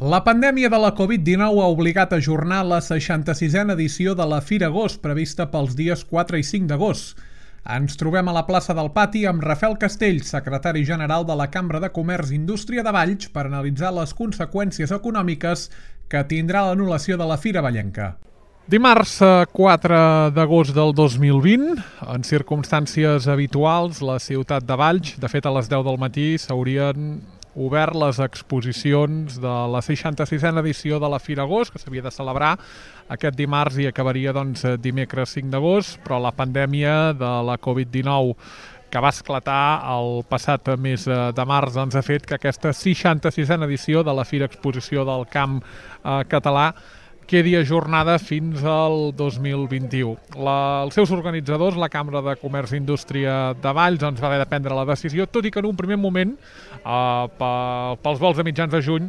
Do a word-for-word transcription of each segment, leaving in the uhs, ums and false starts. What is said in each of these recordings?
La pandèmia de la Covid dinou ha obligat a ajornar la seixanta-sisena edició de la Fira Agost, prevista pels dies quatre i cinc d'agost. Ens trobem a la plaça del Pati amb Rafael Castells, secretari general de la Cambra de Comerç i Indústria de Valls, per analitzar les conseqüències econòmiques que tindrà l'anul·lació de la Fira Vallenca. Dimarts quatre d'agost del dos mil vint, en circumstàncies habituals, la ciutat de Valls, de fet a les deu del matí, s'haurien obert les exposicions de la seixanta-sisena edició de la Fira Agost, que s'havia de celebrar aquest dimarts i acabaria doncs, dimecres cinc d'agost, però la pandèmia de la Covid dinou que va esclatar el passat mes de març doncs, ha fet que aquesta seixanta-sisena edició de la Fira Exposició del Camp eh, Català quedi ajornada fins al dos mil vint-i-u. La, els seus organitzadors, la Cambra de Comerç i Indústria de Valls, doncs, va haver de prendre la decisió, tot i que en un primer moment, eh, pels vols de mitjans de juny,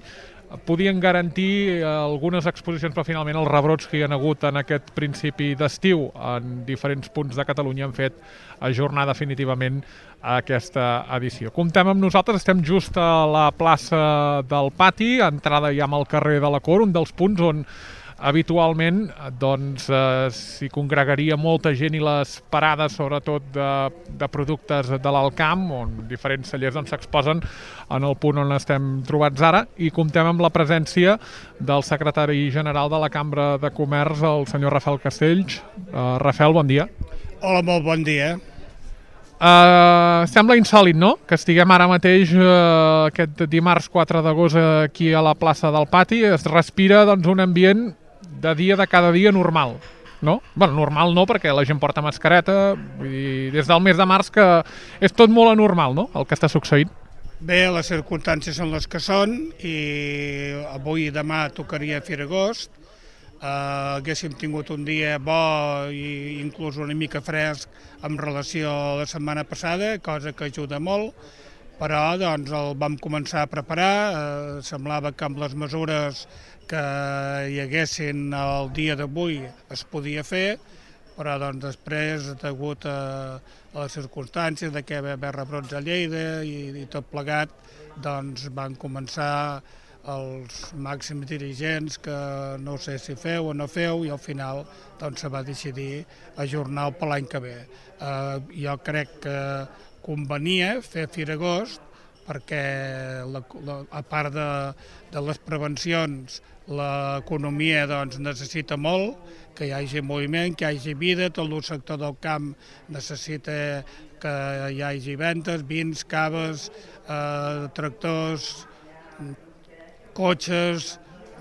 podien garantir algunes exposicions, però finalment els rebrots que hi ha hagut en aquest principi d'estiu en diferents punts de Catalunya han fet ajornar definitivament aquesta edició. Comptem amb nosaltres, estem just a la plaça del Pati, entrada ja amb el carrer de la Cor, un dels punts on habitualment doncs, eh, s'hi congregaria molta gent i les parades, sobretot de, de productes de l'alt camp, on diferents cellers doncs, s'exposen en el punt on estem trobats ara, i comptem amb la presència del secretari general de la Cambra de Comerç, el senyor Rafael Castells. Uh, Rafael, bon dia. Hola, molt bon dia. Uh, sembla insòlit, no?, que estiguem ara mateix uh, aquest dimarts quatre d'agost aquí a la plaça del Pati. Es respira doncs, un ambient de dia de cada dia normal, no? Bueno, normal no, perquè la gent porta mascareta, vull dir, des del mes de març que és tot molt anormal, no?, el que està succeint. Bé, les circumstàncies són les que són i avui i demà tocaria Fira Agost. Uh, haguéssim tingut un dia bo i inclús una mica fresc en relació a la setmana passada, cosa que ajuda molt, però doncs, el vam començar a preparar. Uh, semblava que amb les mesures que hi haguessin el dia d'avui es podia fer, però doncs, després, degut a, a les circumstàncies de que va haver rebrots a Lleida i, i tot plegat, doncs, van començar els màxims dirigents que no sé si feu o no feu, i al final doncs, se va decidir ajornar-ho per l'any que ve. Eh, jo crec que convenia fer Fira Agost perquè, la, la, a part de, de les prevencions, l'economia doncs, necessita molt que hi hagi moviment, que hi hagi vida, tot el sector del camp necessita que hi hagi ventes, vins, caves, eh, tractors, cotxes,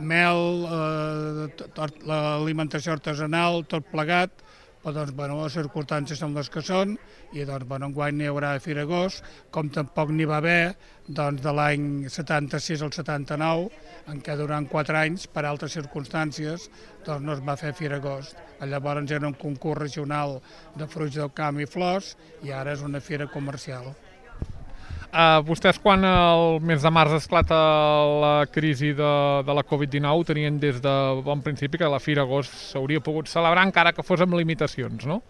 mel, eh, l'alimentació artesanal, tot plegat, però doncs, bueno, les circumstàncies són les que són i doncs, bueno, enguany n'hi haurà a Fira Agost, com tampoc n'hi va haver doncs, de l'any setanta-sis al setanta-nou, en què durant quatre anys, per altres circumstàncies, doncs, no es va fer Fira Agost. Llavors era un concurs regional de fruits del camp i flors i ara és una fira comercial. Uh, vostès, quan el mes de març esclata la crisi de, de la Covid dinou, tenien des de bon principi que la Fira Agost s'hauria pogut celebrar encara que fos amb limitacions, no?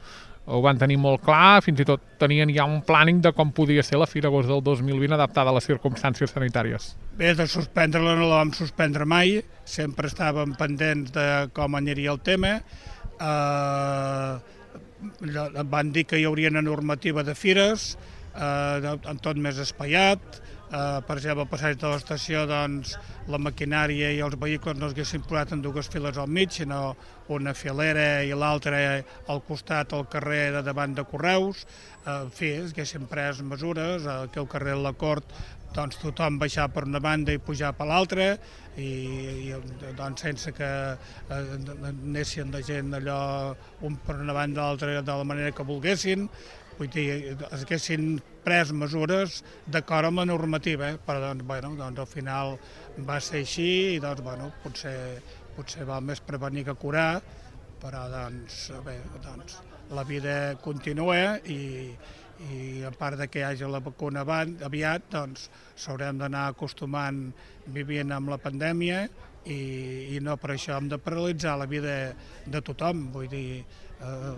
Ho van tenir molt clar, fins i tot tenien ja un planning de com podia ser la Fira Agost del dos mil vint adaptada a les circumstàncies sanitàries. Bé, de suspendre-la no la vam suspendre mai, sempre estàvem pendents de com aniria el tema. Eh, van dir que hi hauria una normativa de fires, Uh, en tot més espaiat, uh, per exemple, al passeig de l'estació doncs, la maquinària i els vehicles no s'haguessin posat en dues files al mig, sinó una filera i l'altra al costat al carrer de davant de Correus. Uh, en fi, s'haguessin pres mesures, uh, aquí al carrer de la Cort doncs, tothom baixar per una banda i pujar per l'altra, i, i doncs, sense que eh, anessin la gent allò un per una banda i l'altra de la manera que volguessin. Vull dir, es haguessin pres mesures d'acord amb la normativa, eh? però doncs, bueno, doncs, al final va ser així i doncs, bueno, potser, potser val més prevenir que curar, però doncs, bé, doncs, la vida continua i, i a part de que hi hagi la vacuna aviat, doncs s'haurem d'anar acostumant vivint amb la pandèmia i, i no per això hem de paralitzar la vida de tothom. Vull dir, eh,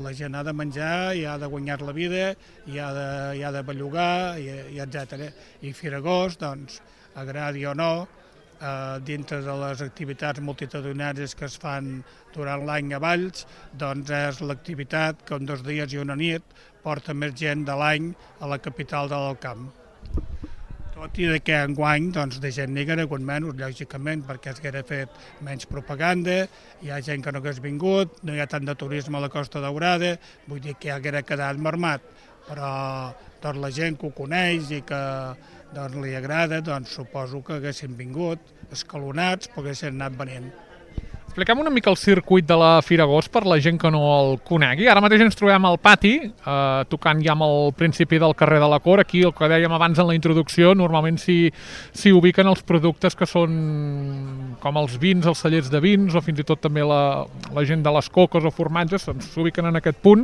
la gent ha de menjar i ha de guanyar la vida i ha de, i ha de bellugar i, i etcètera. I Fira Agost, doncs, agradi o no, eh, dintre de les activitats multitudinàries que es fan durant l'any a Valls, doncs és l'activitat que en dos dies i una nit porta més gent de l'any a la capital de l'Alt Camp. Tot i que enguany doncs, de gent n'hi haguera hagut menys, lògicament, perquè es haguera fet menys propaganda, hi ha gent que no hagués vingut, no hi ha tant de turisme a la Costa Daurada, vull dir que ja haguera quedat marmat, però doncs, la gent que ho coneix i que doncs, li agrada, doncs, suposo que haguessin vingut, escalonats, però haguessin anat venint. Expliquem una mica el circuit de la Fira Agost per la gent que no el conegui. Ara mateix ens trobem al pati, eh, tocant ja amb el principi del carrer de la Cor. Aquí, el que dèiem abans en la introducció, normalment s'hi ubiquen els productes que són com els vins, els cellers de vins, o fins i tot també la, la gent de les coques o formatges, doncs s'ubiquen en aquest punt.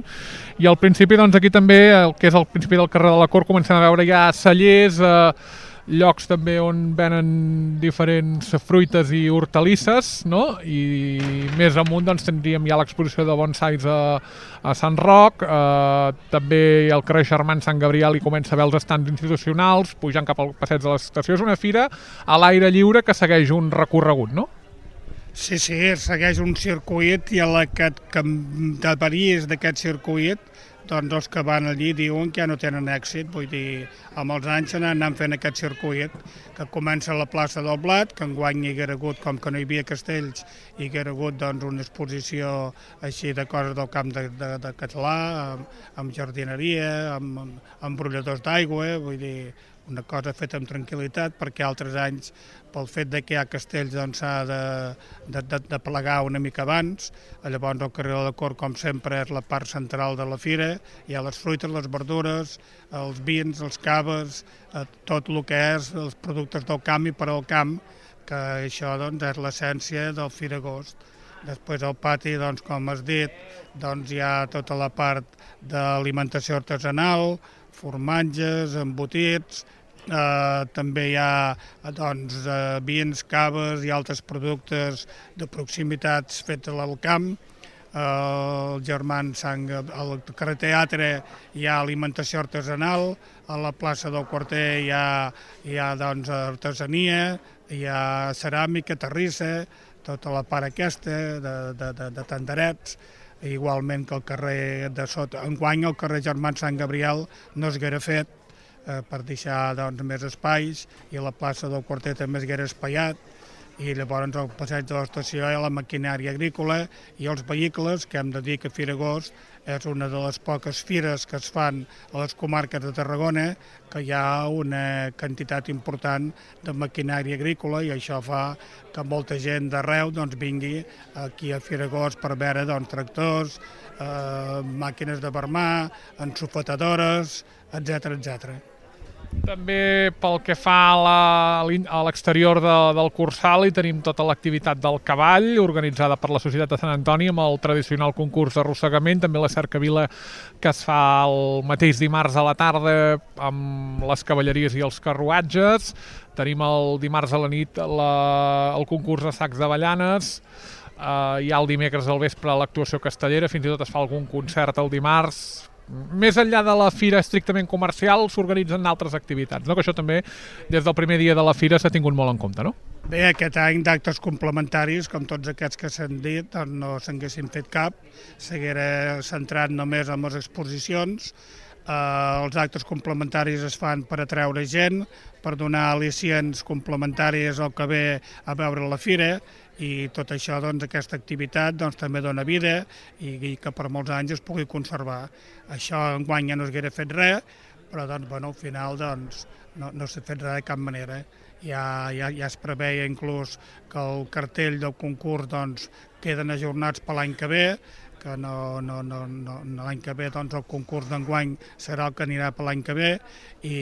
I al principi, doncs aquí també, el que és el principi del carrer de la Cor, comencem a veure ja cellers, eh, llocs també on venen diferents fruites i hortalisses, no? I més amunt doncs, tindríem ja l'exposició de bonsais a, a Sant Roc, eh, també al carrer Germans Sant Gabriel i comença a veure els estands institucionals, pujant cap al passeig de l'estació. És una fira a l'aire lliure que segueix un recorregut, no? Sí, sí, segueix un circuit i a la que et varies d'aquest circuit, doncs els que van allí diuen que ja no tenen èxit, vull dir, amb els anys s'han anat fent aquest circuit que comença a la plaça del Blat, que enguany hi haguera hagut, com que no hi havia castells, hi haguera hagut doncs, una exposició així de coses del camp de, de, de català, amb, amb jardineria, amb, amb, amb brolladors d'aigua, vull dir, una cosa feta amb tranquil·litat, perquè altres anys, pel fet de que hi ha castells, doncs s'ha de, de, de, de plegar una mica abans. Llavors el carrer de la Cor, com sempre, és la part central de la fira. Hi ha les fruites, les verdures, els vins, els caves, eh, tot el que és els productes del camp i per al camp, que això doncs, és l'essència del Fira Agost. Després al pati, doncs, com has dit, doncs, hi ha tota la part d'alimentació artesanal, formatges, embotits, eh, també hi ha doncs, eh, vins, caves i altres productes de proximitats fets al camp. Eh, el Germán Sant, al carrer Teatre hi ha alimentació artesanal, a la plaça del Quarter hi ha, hi ha doncs, artesania, hi ha ceràmica, terrissa, tota la part aquesta de, de, de, de tenderets, igualment que el carrer de sota. Enguany el carrer Germán Sant Gabriel no s'haguera fet eh, per deixar doncs, més espais, i a la plaça del Quarter també s'haguera espaiat, i llavors al passeig de l'estació hi ha la maquinària agrícola i els vehicles, que hem de dir que Fira Agost és una de les poques fires que es fan a les comarques de Tarragona, que hi ha una quantitat important de maquinària agrícola, i això fa que molta gent d'arreu doncs, vingui aquí a Fira Agost per veure doncs, tractors, eh, màquines de vermar, ensofetadores, etcètera, etcètera. També pel que fa a l'exterior de, del Cursal hi tenim tota l'activitat del cavall organitzada per la Societat de Sant Antoni amb el tradicional concurs d'arrossegament, també la cercavila que es fa el mateix dimarts a la tarda amb les cavalleries i els carruatges. Tenim el dimarts a la nit la, el concurs de sacs d'avellanes, eh, hi ha el dimecres al vespre l'actuació castellera, fins i tot es fa algun concert el dimarts. Més enllà de la fira estrictament comercial s'organitzen altres activitats, no? Que això també des del primer dia de la fira s'ha tingut molt en compte, no? Bé, aquest any d'actes complementaris, com tots aquests que s'han dit, doncs no s'haguessin fet cap, s'haguera centrat només en les exposicions. Eh, els actes complementaris es fan per atreure gent, per donar al·licients complementaris al que ve a veure la fira, i tot això, doncs, aquesta activitat doncs, també dona vida i, i que per molts anys es pugui conservar. Això enguany ja no s'haguera fet res, però doncs, bueno, al final doncs, no, no s'ha fet res de cap manera. Ja, ja, ja es preveia inclús que el cartell del concurs doncs, queden ajornats per l'any que ve, que no, no, no, no, l'any que ve doncs, el concurs d'enguany serà el que anirà per l'any que ve, i,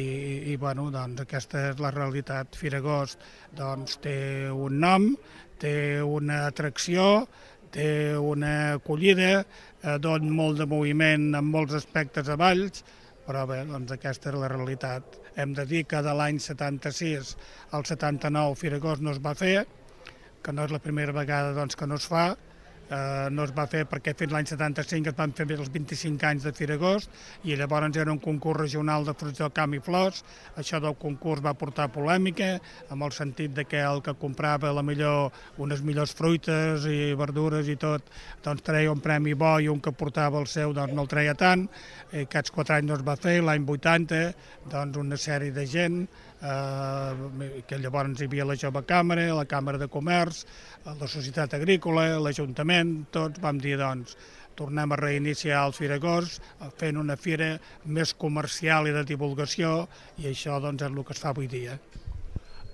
i bueno, doncs, aquesta és la realitat. Fira Agost doncs, té un nom, té una atracció, té una acollida, eh, dona molt de moviment en molts aspectes a Valls, però bé, doncs aquesta és la realitat. Hem de dir que de l'any setanta-sis al setanta-nou Fira Agost no es va fer, que no és la primera vegada doncs, que no es fa, eh, no es va fer perquè fins l'any setanta-cinc es van fer els vint-i-cinc anys de Fira Agost i llavors era un concurs regional de fruits del camp i flors. Això del concurs va portar polèmica, amb el sentit de que el que comprava la millor, unes millors fruites i verdures i tot, doncs treia un premi bo i un que portava el seu doncs no el treia tant. I aquests quatre anys no es va fer, l'any vuitanta doncs una sèrie de gent, eh, que llavors hi havia la Jove Càmera, la Càmera de Comerç, la Societat Agrícola, l'Ajuntament, tots vam dir doncs tornem a reiniciar el Fira Agost fent una fira més comercial i de divulgació i això doncs és el que es fa avui dia.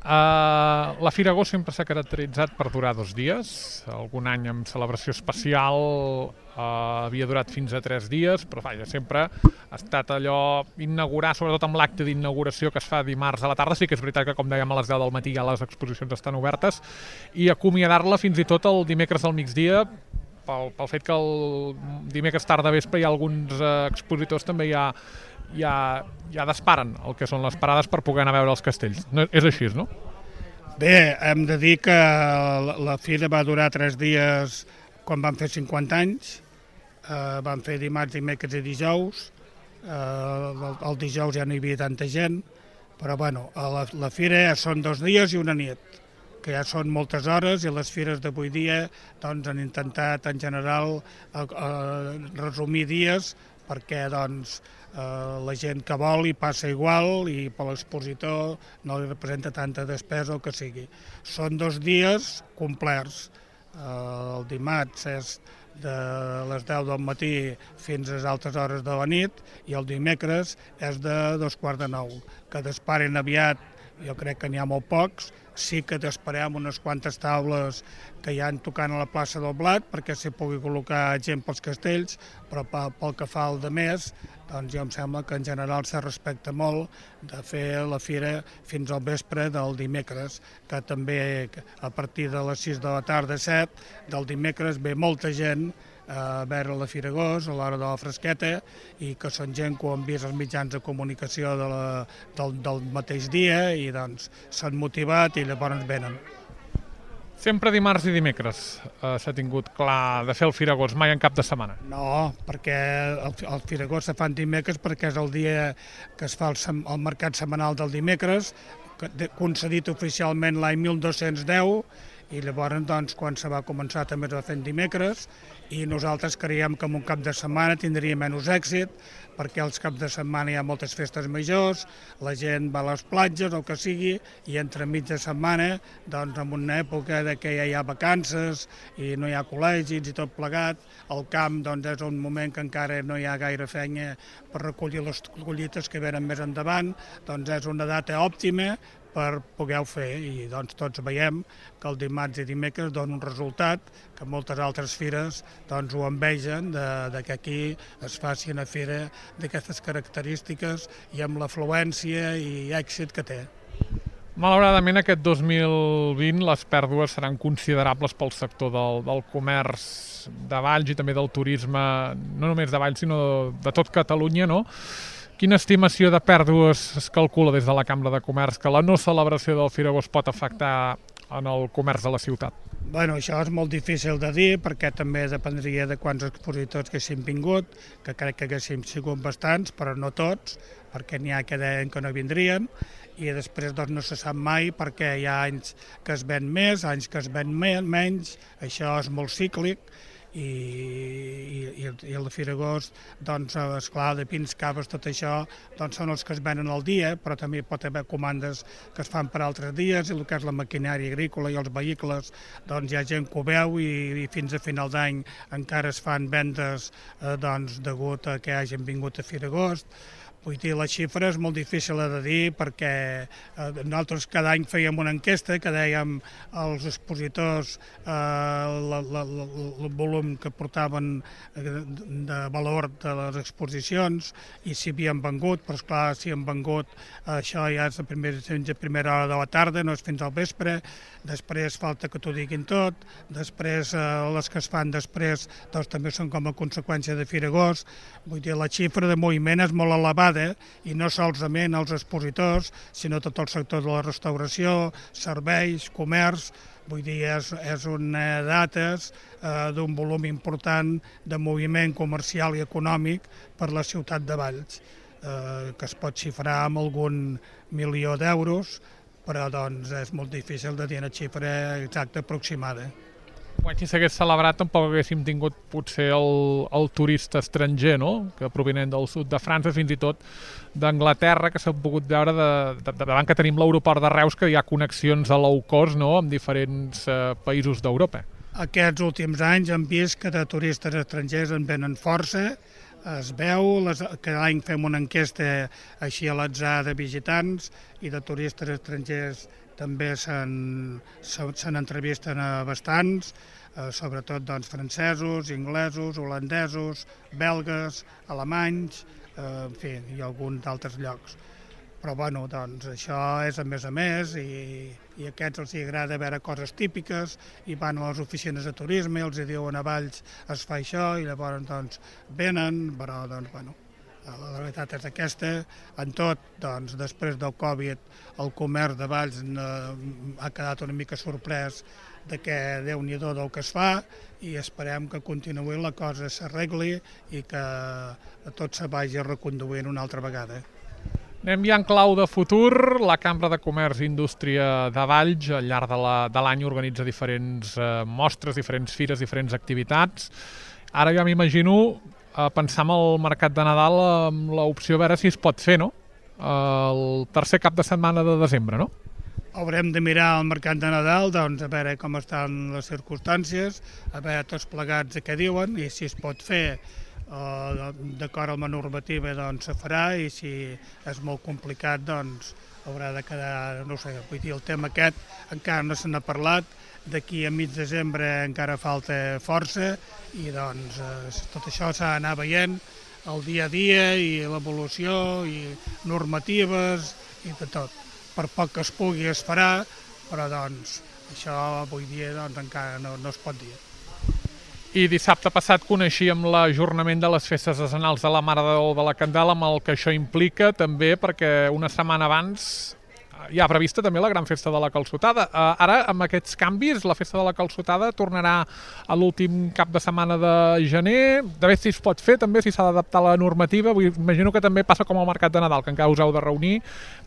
Uh, la Fira Agost sempre s'ha caracteritzat per durar dos dies, algun any amb celebració especial uh, havia durat fins a tres dies, però vaja, sempre ha estat allò inaugurar, sobretot amb l'acte d'inauguració que es fa dimarts a la tarda. Sí que és veritat que, com dèiem, a les deu del matí ja les exposicions estan obertes, i acomiadar-la fins i tot el dimecres al migdia, pel, pel fet que el dimecres tarda vespre hi ha alguns uh, expositors també ja ja, ja disparen el que són les parades per poder anar a veure els castells. No, és així, no? Bé, hem de dir que la, la fira va durar tres dies quan van fer cinquanta anys. Eh, van fer dimarts, dimecres i dijous. Eh, el, el dijous ja no hi havia tanta gent, però bueno, la, la fira són dos dies i una nit, que ja són moltes hores, i les fires d'avui dia doncs, han intentat en general eh, eh, resumir dies perquè doncs, eh, la gent que vol hi passa igual i per l'expositor no li representa tanta despesa o que sigui. Són dos dies complets. Eh, el dimarts és de les deu del matí fins a les altes hores de la nit i el dimecres és de dos quarts de nou. Que disparen aviat, jo crec que n'hi ha molt pocs. Sí que t'esperem unes quantes taules que hi han tocant a la plaça del Blat perquè s'hi pugui col·locar gent pels castells, però pel que fa al de més, doncs jo em sembla que en general se respecta molt de fer la fira fins al vespre del dimecres, que també a partir de les sis de la tarda, set, del dimecres ve molta gent a veure la Fira Agost a l'hora de la fresqueta i que són gent que ho han vist els mitjans de comunicació de la, del, del mateix dia i doncs s'han motivat i llavors venen. Sempre dimarts i dimecres eh, s'ha tingut clar de fer el Fira Agost, mai en cap de setmana? No, perquè el, el Fira Agost se fa en dimecres perquè és el dia que es fa el, el mercat setmanal del dimecres, concedit oficialment l'any mil dos-cents deu, i llavors doncs, quan se va començar també es va fer en dimecres, i nosaltres creiem que en un cap de setmana tindria menys èxit perquè als caps de setmana hi ha moltes festes majors, la gent va a les platges o el que sigui, i entre mitja setmana, doncs en una època de que ja hi ha vacances i no hi ha col·legis i tot plegat, el camp doncs, és un moment que encara no hi ha gaire feina per recollir les collites que venen més endavant, doncs és una data òptima per poder-ho fer, i doncs tots veiem que el dimarts i dimecres dona un resultat que moltes altres fires doncs, ho envegen de, de que aquí es faci una fira d'aquestes característiques i amb l'afluència i èxit que té. Malauradament aquest dos mil vint les pèrdues seran considerables pel sector del, del comerç de Valls i també del turisme, no només de Valls sinó de, de tot Catalunya, no? Quina estimació de pèrdues es calcula des de la Cambra de Comerç que la no celebració del Fira Agost pot afectar en el comerç de la ciutat? Bueno, això és molt difícil de dir perquè també dependria de quants expositors que haguessin vingut, que crec que haguessin sigut bastants, però no tots, perquè n'hi ha que deien que no vindrien, i després doncs, no se sap mai perquè hi ha anys que es ven més, anys que es ven menys, això és molt cíclic, i, i, i la Fira Agost, doncs, esclar, de pins, caves, tot això, doncs són els que es venen al dia, però també pot haver comandes que es fan per altres dies, i el que és la maquinària agrícola i els vehicles, doncs hi ha gent que ho veu i, i fins a final d'any encara es fan vendes eh, doncs, degut a que hagin vingut a Fira Agost. Vull dir, la xifra és molt difícil de dir perquè eh, nosaltres cada any fèiem una enquesta que dèiem als expositors eh, la, la, la, el volum que portaven de valor de les exposicions i si havien vengut, però esclar, si han vengut, això ja és a primera, a primera hora de la tarda, no és fins al vespre, després falta que t'ho diguin tot, després eh, les que es fan després doncs, també són com a conseqüència de Fira Agost. Vull dir, la xifra de moviment és molt elevada i no solament els expositors, sinó tot el sector de la restauració, serveis, comerç, Vull dir, és, és una dates eh, d'un volum important de moviment comercial i econòmic per la ciutat de Valls, eh, que es pot xifrar amb algun milió d'euros, però doncs és molt difícil de dir una xifra exacta aproximada. Quan si s'hagués celebrat tampoc haguéssim tingut potser el, el turista estranger, no? Que provinent del sud de França, fins i tot d'Anglaterra, que s'ha pogut veure de, de, de, davant que tenim l'aeroport de Reus, que hi ha connexions a low cost, no?, amb diferents eh, països d'Europa. Aquests últims anys hem vist que de turistes estrangers en venen força, es veu, les, cada any fem una enquesta així a l'atzar de visitants i de turistes estrangers també se'n entrevisten a bastants, eh, sobretot doncs, francesos, inglesos, holandesos, belgues, alemanys, eh, en fi, i alguns d'altres llocs. Però bueno, doncs això és a més a més i, i a aquests els agrada veure coses típiques i van a les oficines de turisme i els diuen a Valls es fa això i llavors doncs venen, però doncs bueno, la realitat és aquesta. En tot, doncs, després del Covid, el comerç de Valls ha quedat una mica sorprès de que Déu-n'hi-do del que es fa i esperem que continuï la cosa s'arregli i que tot se vagi reconduint una altra vegada. Anem ja en clau de futur. La Cambra de Comerç i Indústria de Valls al llarg de l'any organitza diferents eh, mostres, diferents fires, diferents activitats. Ara ja m'imagino a pensar en el mercat de Nadal amb l'opció a veure si es pot fer, no? El tercer cap de setmana de desembre, no? Haurem de mirar el mercat de Nadal, doncs a veure com estan les circumstàncies, a veure tots plegats què diuen i si es pot fer eh, d'acord amb la normativa doncs se farà i si és molt complicat doncs haurà de quedar, no sé, vull dir, el tema aquest encara no se n'ha parlat, d'aquí a mig desembre encara falta força i doncs eh, tot això s'ha d'anar veient el dia a dia i l'evolució i normatives i de tot. Per poc que es pugui es farà, però doncs això avui dia doncs, encara no, no es pot dir. I dissabte passat coneixíem l'ajornament de les festes decenals de la Mare de Déu de la Candela amb el que això implica també perquè una setmana abans hi ha prevista també la gran festa de la Calçotada. Uh, ara, amb aquests canvis, la festa de la Calçotada tornarà a l'últim cap de setmana de gener. De veure si es pot fer també, si s'ha d'adaptar la normativa. Vull, imagino que també passa com al mercat de Nadal, que encara us heu de reunir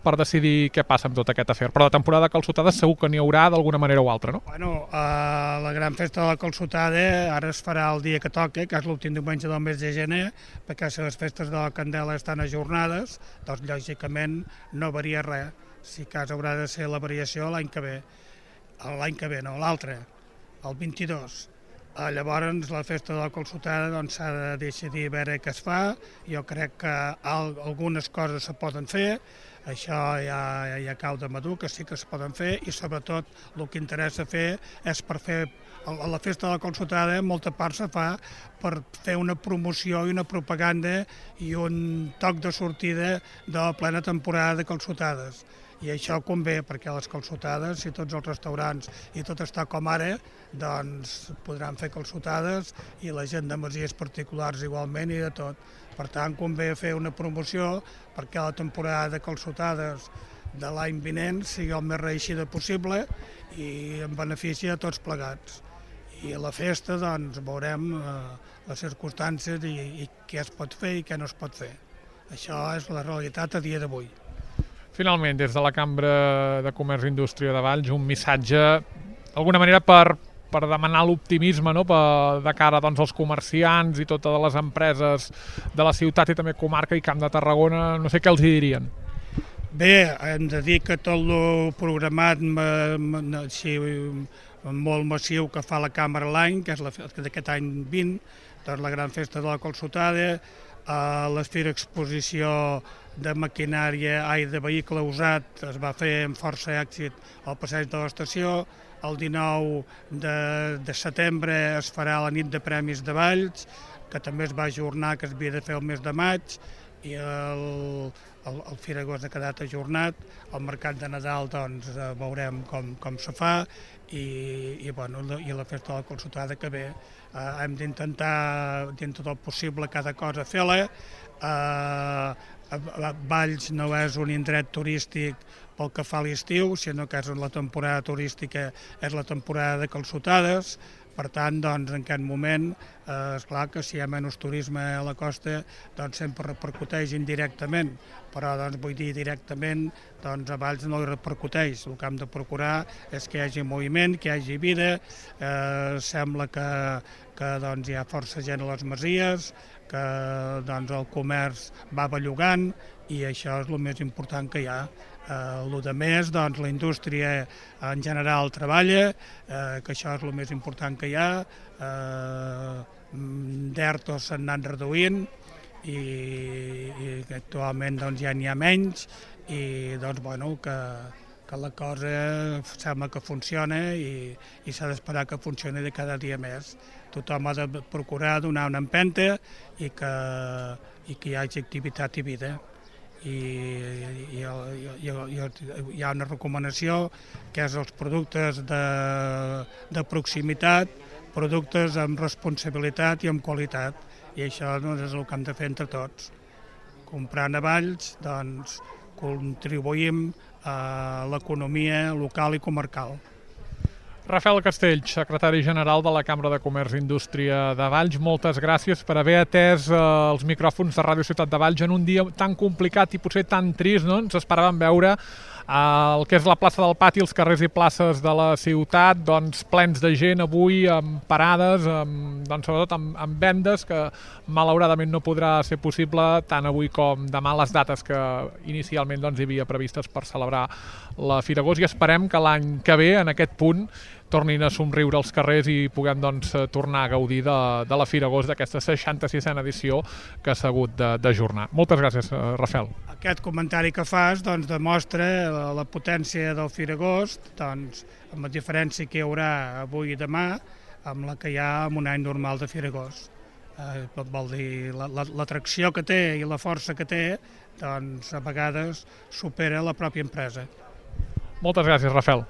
per decidir què passa amb tot aquest afer. Però la temporada de Calçotada segur que n'hi haurà d'alguna manera o altra, no? Bueno, uh, la gran festa de la Calçotada ara es farà el dia que toca, que és l'últim diumenge del mes de gener, perquè si les festes de la Candela estan ajornades, doncs lògicament no varia res. Si cas haurà de ser la variació l'any que ve, l'any que ve no, l'altre, el vint-i-dos. Llavors la festa de la Calçotada doncs, s'ha de decidir a veure què es fa. Jo crec que algunes coses se poden fer, això ja, ja cau de madur, que sí que es poden fer i sobretot el que interessa fer és per fer a la festa de la Calçotada molta part se fa per fer una promoció i una propaganda i un toc de sortida de la plena temporada de calçotades. I això convé perquè les calçotades, si tots els restaurants i tot està com ara, doncs podran fer calçotades i la gent de masies particulars igualment i de tot. Per tant, convé fer una promoció perquè la temporada de calçotades de l'any vinent sigui el més reeixida possible i en benefici a tots plegats. I a la festa doncs, veurem eh, les circumstàncies i, i què es pot fer i què no es pot fer. Això és la realitat a dia d'avui. Finalment, des de la Cambra de Comerç i Indústria de Valls, un missatge, d'alguna manera, per, per demanar l'optimisme, no?, per, de cara doncs, als comerciants i totes les empreses de la ciutat i també comarca i Camp de Tarragona, no sé què els hi dirien. Bé, hem de dir que tot el programat així, molt massiu que fa la Cambra l'any, que és d'aquest any vint, doncs la gran festa de la Calçotada, l'Esfera Exposició de maquinària, ai, de vehicle usat, es va fer amb força èxit al passeig de l'estació. El dinou de, de setembre es farà la nit de premis de Valls, que també es va ajornar, que es havia de fer el mes de maig, i el, el, el Fira-Agost ha quedat ajornat. El mercat de Nadal doncs, veurem com, com se fa i, i, bueno, i la festa de la Calçotada que ve. Eh, hem d'intentar, dintre del possible, cada cosa fer-la. Eh, Valls no és un indret turístic pel que fa a l'estiu, sinó que és la temporada turística, és la temporada de calçotades. Per tant, doncs, en aquest moment, eh, és clar que si hi ha menys turisme a la costa, doncs sempre repercuteix indirectament, però doncs, vull dir directament, doncs, a Valls no hi repercuteix. El que hem de procurar és que hi hagi moviment, que hi hagi vida, eh, sembla que, que doncs, hi ha força gent a les masies, que doncs, el comerç va bellugant i això és el més important que hi ha. Eh, el de més, doncs, la indústria en general treballa, eh, que això és el més important que hi ha, eh, d'ertos s'han anat reduint i, i actualment doncs, ja n'hi ha menys i doncs, bueno, que, que la cosa sembla que funciona i, i s'ha d'esperar que funcioni de cada dia més. Tothom ha de procurar donar una empenta i que, i que hi hagi activitat i vida. I, i, i, i hi ha una recomanació que és els productes de, de proximitat, productes amb responsabilitat i amb qualitat, i això doncs, és el que hem de fer entre tots. Comprant a Valls, doncs, contribuïm a l'economia local i comarcal. Rafael Castells, secretari general de la Cambra de Comerç i Indústria de Valls, moltes gràcies per haver atès eh, els micròfons de Ràdio Ciutat de Valls en un dia tan complicat i potser tan trist, no? Ens esperàvem veure eh, el que és la plaça del Pati, els carrers i places de la ciutat, doncs plens de gent avui, amb parades, amb, doncs, sobretot amb, amb vendes, que malauradament no podrà ser possible tant avui com demà, les dates que inicialment doncs, hi havia previstes per celebrar la Fira Gos, i esperem que l'any que ve, en aquest punt, tornin a somriure els carrers i puguem doncs, tornar a gaudir de, de la Fira Gos, d'aquesta seixanta-sisena edició que s'ha hagut d'ajornar. Moltes gràcies, Rafael. Aquest comentari que fas doncs, demostra la, la potència del Fira Gos, doncs, amb la diferència que hi haurà avui i demà amb la que hi ha en un any normal de Fira Gos. Eh, vol dir, l'atracció que té i la força que té, doncs, a vegades supera la pròpia empresa. Moltes gràcies, Rafael.